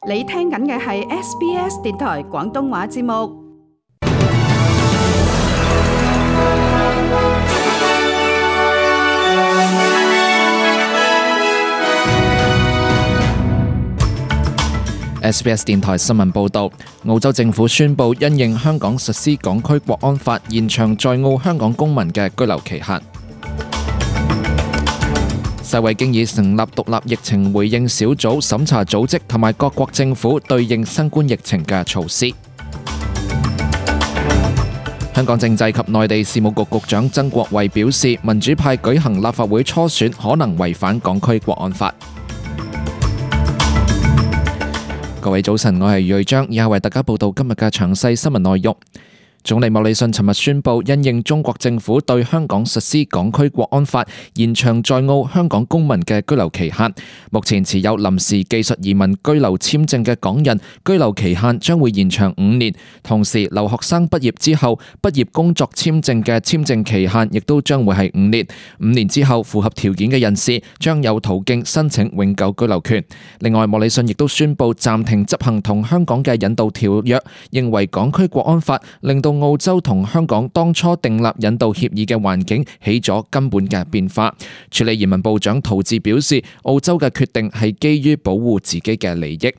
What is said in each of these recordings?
你聽緊嘅係 SBS 電台廣東話節目。SBS 電台新聞報導，澳洲政府宣布因應香港實施港區國安法，延長在澳香港公民嘅居留期限。世衛經已成立獨立疫情回應小組，審查組織同埋各國政府對應新冠疫情嘅措施。香港政制及內地事務局局長曾國衛表示，民主派舉行立法會初選可能違反港區國安法。各位早晨，我係余瑞章，以下為大家報道今日嘅詳細新聞內容。總理莫里遜尋日宣布，因應中國政府對香港實施港區國安法，延長在澳香港公民嘅居留期限。目前持有臨時技術移民居留簽證嘅港人，居留期限將會延長5年。同時，留學生畢業之後，畢業工作簽證嘅簽證期限亦都將會係5年。5年之後，符合條件嘅人士將有途徑申請永久居留權。另外，莫里遜亦都宣布暫停執行同香港嘅引渡條約，認為港區國安法令到澳洲同香港當初訂立引渡協議嘅環境起咗根本嘅變化。處理移民部長陶治表示，澳洲嘅決定係基於保護自己嘅利益。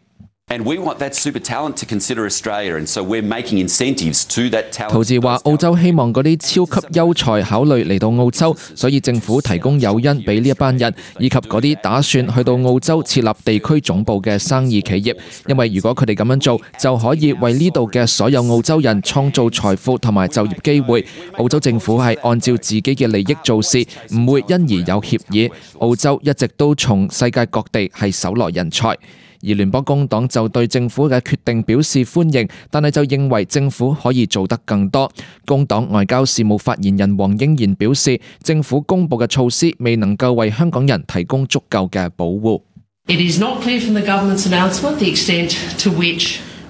陶治話，澳洲希望嗰啲超級優才考慮嚟到澳洲，所以政府提供誘因俾呢一班人，以及嗰啲打算去到澳洲設立地區總部嘅生意企業，因為如果佢哋咁樣做，就可以為呢度嘅所有澳洲人創造財富同埋就業機會。澳洲政府係按照自己嘅利益做事，唔會因而有協議。澳洲一直都從世界各地係搜羅人才。而聯邦工黨就對政府嘅決定表示歡迎，但係就認為政府可以做得更多。工黨外交事務發言人黃英賢表示，政府公布嘅措施未能夠為香港人提供足夠嘅保護。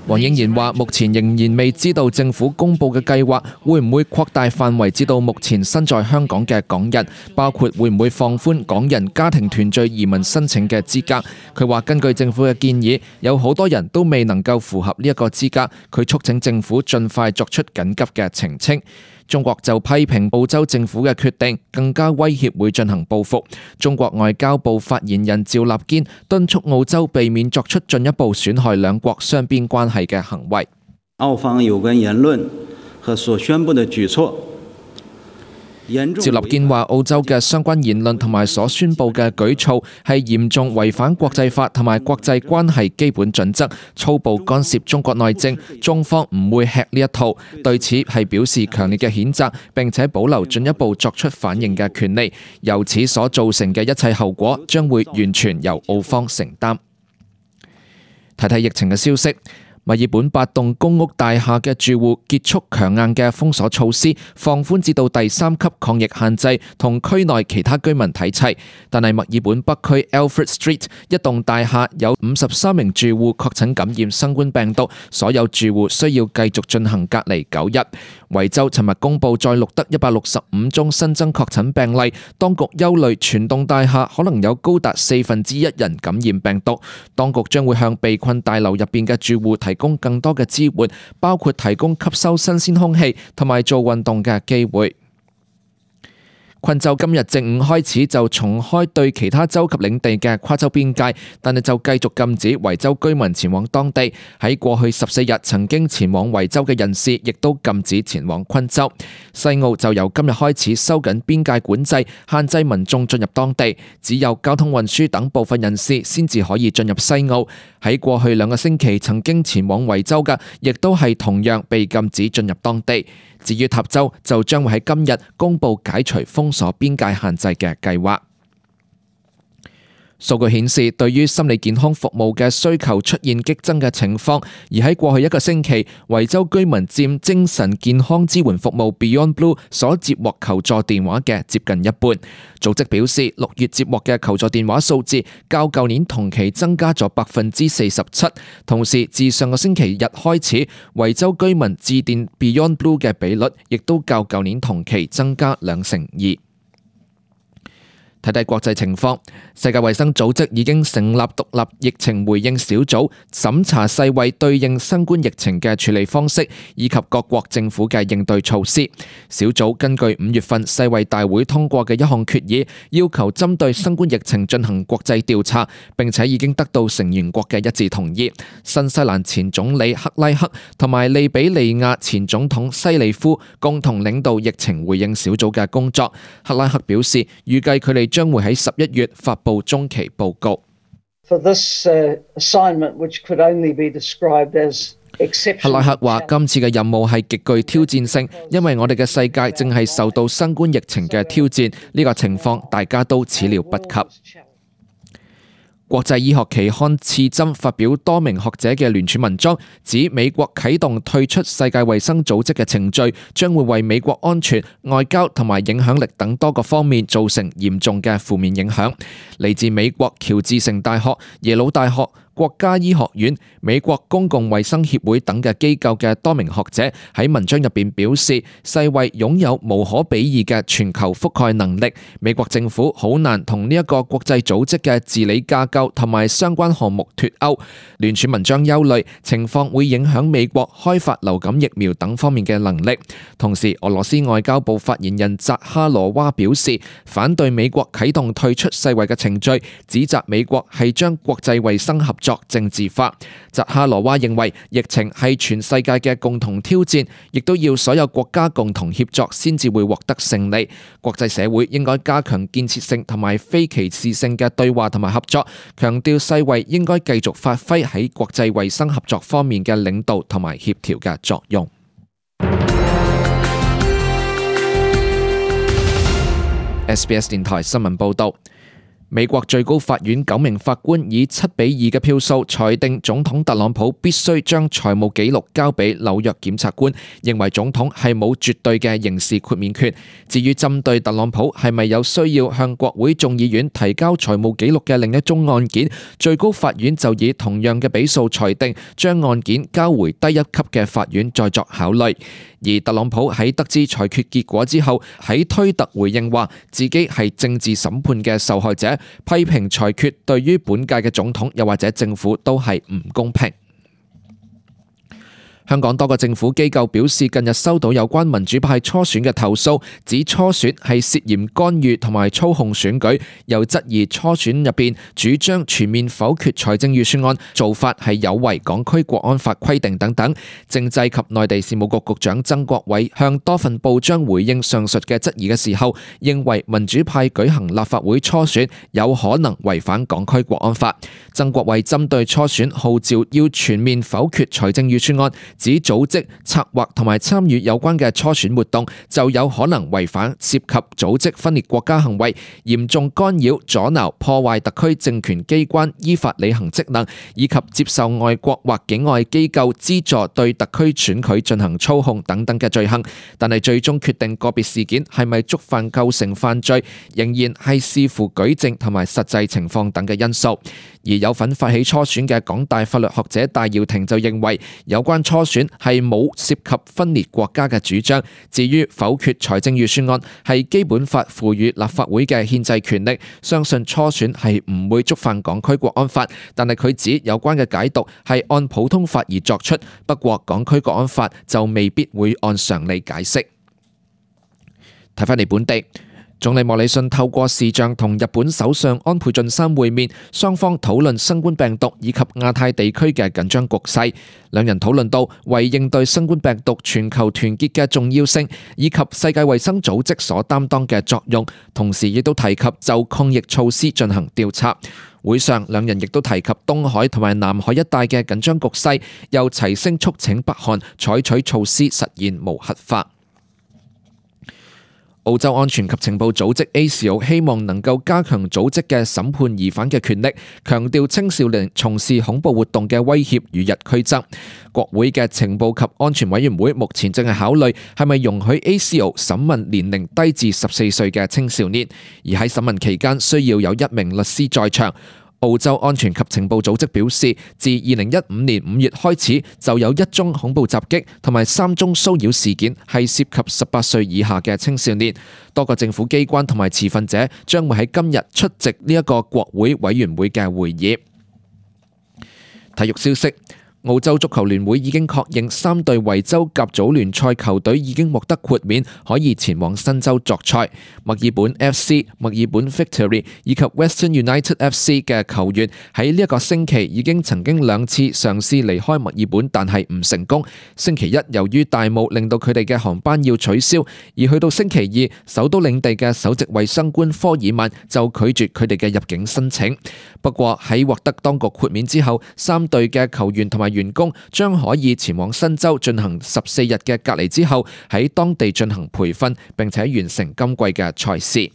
黃英賢話，目前仍然未知道政府公布嘅計劃會唔會擴大範圍至到目前身在香港嘅港人，包括會唔會放寬港人家庭團聚移民申請嘅資格。佢話根據政府嘅建議，有好多人都未能夠符合呢一個資格，佢促請政府盡快作出緊急嘅澄清。中國就批評澳洲政府嘅決定，更加威脅會進行報復。中國外交部發言人趙立堅敦促澳洲避免作出進一步損害兩國雙邊關係嘅行為。澳方有關言論和所宣布的舉措，趙立堅話，澳洲嘅相關言論同埋所宣布嘅舉措係嚴重違反國際法同埋國際關係基本準則，粗暴干涉中國內政。中方唔會吃呢一套，對此係表示強烈嘅譴責，並且保留進一步作出反應嘅權利。由此所造成嘅一切後果，將會完全由澳方承擔。睇睇疫情嘅消息。墨爾本8棟公屋大廈嘅住戶結束強硬嘅封鎖措施，放寬至到第3級抗疫限制，同區內其他居民睇齊。但係墨爾本北區 Alfred Street 一棟大廈有53名住戶確診感染新冠病毒，所有住戶需要繼續進行隔離9日。維州尋日公布再錄得165宗新增確診病例，當局憂慮全棟大廈可能有高達1/4人感染病毒。當局將會向被困大樓入邊嘅住戶提供更多嘅支援，包括提供吸收新鮮空氣同埋做運動嘅機會。昆州今日正午開始就重開對其他州及領地嘅跨州邊界，但係就繼續禁止維州居民前往當地。喺過去14日曾經前往維州嘅人士，亦都禁止前往昆州。西澳就由今日開始收緊邊界管制，限制民眾進入當地，只有交通運輸等部分人士先至可以進入西澳。喺過去2個星期曾經前往維州嘅，亦都係同樣被禁止進入當地。至於塔州，就將會喺今日公布解除封鎖邊界限制嘅計劃。數據顯示，對於心理健康服務嘅需求出現激增嘅情況，而喺過去1個星期，維州居民佔精神健康支援服務 Beyond Blue 所接獲求助電話嘅接近一半。組織表示，6月接獲嘅求助電話數字較舊年同期增加咗47%。同時，自上個星期日開始，維州居民致電 Beyond Blue 嘅比率亦都較舊年同期增加2成2。睇睇國際情況，世界衛生組織已經成立獨立疫情回應小組，審查世衛對應新冠疫情嘅處理方式，以及各國政府嘅應對措施。小組根據5月份世衛大會通過嘅一項決議，要求針對新冠疫情進行國際調查，並且已經得到成員國嘅一致同意。新西蘭前總理克拉克同埋利比里亞前總統西里夫共同領導疫情回應小組嘅工作。克拉克表示，預計佢哋將會喺11月發布中期報告。克拉克話：今次嘅任務係極具挑戰性，因為我哋嘅世界正係受到新冠疫情嘅挑戰，呢個情況大家都始料不及。國際醫學期刊《刺針》發表多名學者嘅聯署文章，指美國啟動退出世界衛生組織嘅程序，將會為美國安全、外交同埋影響力等多個方面造成嚴重嘅負面影響。嚟自美國喬治城大學、耶魯大學、國家醫學院、美國公共衛生協會等嘅機構嘅多名學者喺文章入邊表示，世衛擁有無可比擬嘅全球覆蓋能力，美國政府好難同呢一個國際組織嘅治理架構同埋相關項目脫鈎。聯署文章憂慮情況會影響美國開發流感疫苗等方面嘅能力。同時，俄羅斯外交部發言人扎哈羅娃表示，反對美國啟動退出世衛嘅程序，指責美國係將國際衛生合作政治化。扎哈羅娃認為疫情係全世界嘅共同挑戰，亦都要所有國家共同協作先至會獲得勝利。國際社會應該加強建設性同埋非歧視性嘅對話同埋合作，強調世衛應該繼續發揮喺國際衛生合作方面嘅領導同埋協調嘅作用。SBS 電台新聞報道。美國最高法院9名法官以7-2嘅票數裁定總統特朗普必須將財務記錄交俾紐約檢察官，認為總統係冇絕對嘅刑事豁免權。至於針對特朗普係咪有需要向國會眾議院提交財務記錄嘅另一宗案件，最高法院就以同樣嘅比數裁定，將案件交回低一級嘅法院再作考慮。而特朗普喺得知裁決結果之後，喺推特回應話自己係政治審判嘅受害者，批評裁決對於本屆嘅總統又或者政府都係唔公平。香港多個政府機構表示，近日收到有關民主派初選嘅投訴，指初選係涉嫌干預同埋操控選舉，又質疑初選入邊主張全面否決財政預算案做法係有違港區國安法規定等等。政制及內地事務局局長曾國衛向多份報章回應上述嘅質疑嘅時候，認為民主派舉行立法會初選有可能違反港區國安法。曾國衛針對初選號召要全面否決財政預算案，指組織、策劃同埋參與有關嘅初選活動就有可能違反涉及組織分裂國家行為、嚴重干擾、阻撓、破壞特區政權機關依法履行職能，以及接受外國或境外機構資助對特區選舉進行操控等等嘅罪行。但係最終決定個別事件係咪觸犯構成犯罪，仍然係視乎舉證同埋實際情況等嘅因素。而有份發起初選嘅港大法律學者戴耀廷就認為，有關初選係冇涉及分裂國家嘅主張。至於否決財政預算案係基本法賦予立法會嘅憲制權力，相信初選係唔會觸犯港區國安法。但係佢指有關嘅解讀係按普通法而作出，不過港區國安法就未必會按常理解釋。睇返嚟本地。總理莫里遜透過視像同日本首相安倍晉三會面，雙方討論新冠病毒以及亞太地區嘅緊張局勢。兩人討論到為應對新冠病毒全球團結嘅重要性，以及世界衛生組織所擔當嘅作用，同時亦都提及就抗疫措施進行調查。會上，兩人亦都提及東海同埋南海一帶嘅緊張局勢，又齊聲促請北韓採取措施實現無核化。澳洲安全及情報組織 ASIO 希望能夠加強組織嘅審判疑犯嘅權力，強調青少年從事恐怖活動嘅威脅與日俱增。國會嘅情報及安全委員會目前正係考慮係咪容許 ASIO 審問年齡低至14歲嘅青少年，而喺審問期間需要有1名律師在場。澳洲安全及情報組織表示，自2015年5月開始，就有1宗恐怖襲擊同埋3宗騷擾事件係涉及18歲以下嘅青少年。多個政府機關同埋持份者將會喺今日出席呢一個國會委員會嘅會議。體育消息。澳洲足球聯會已經確認3隊維州甲組聯賽球隊已經獲得豁免，可以前往新州作賽。墨爾本 FC、墨爾本 Victory 以及 Western United FC 嘅球員喺呢一個星期已經曾經2次嘗試離開墨爾本，但係唔成功。星期一由於大霧令到佢哋嘅航班要取消，而去到星期二，首都領地嘅首席衛生官科爾曼就拒絕佢哋嘅入境申請。不過喺獲得當局豁免之後，3隊嘅球員同埋員工將可以前往新州進行14日嘅隔離之後，喺當地進行培訓，並且完成今季嘅賽事。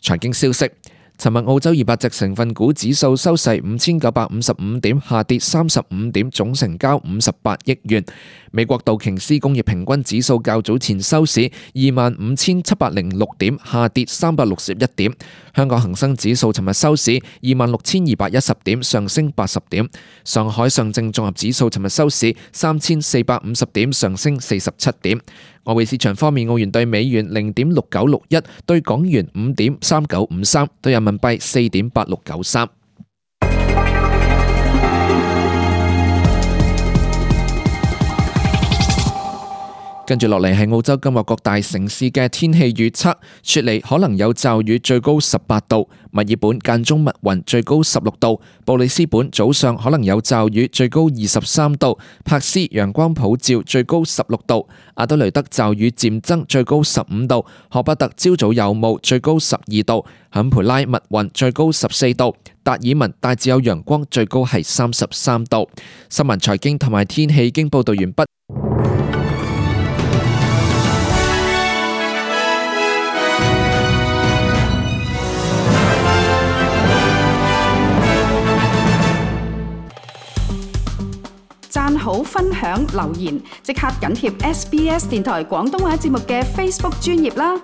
財經消息。尋日澳洲200隻成分股指數收市5955點，下跌35點，總成交58億元。美國道瓊斯工業平均指數較早前收市25,706點，下跌361點。香港恒生指數尋日收市26,210點，上升80點。上海上證綜合指數尋日收市3,450點，上升47點。外匯市場方面，澳元對美元0.6961，對港元5.3953，對人民幣4.8693。跟住落嚟係澳洲今日各大城市嘅天氣預測。雪梨可能有驟雨，最高18度；墨爾本間中密雲，最高16度；布里斯本早上可能有驟雨，最高23度；柏斯陽光普照，最高16度；阿德雷德驟雨漸增，最高15度；荷伯特朝早有霧，最高12度；坎培拉密雲，最高14度；達爾文大致有陽光，最高係33度。新聞財經同埋天氣已經報道完畢。讚好、分享、留言，即刻緊貼SBS 電台廣東話節目嘅 Facebook 專頁啦！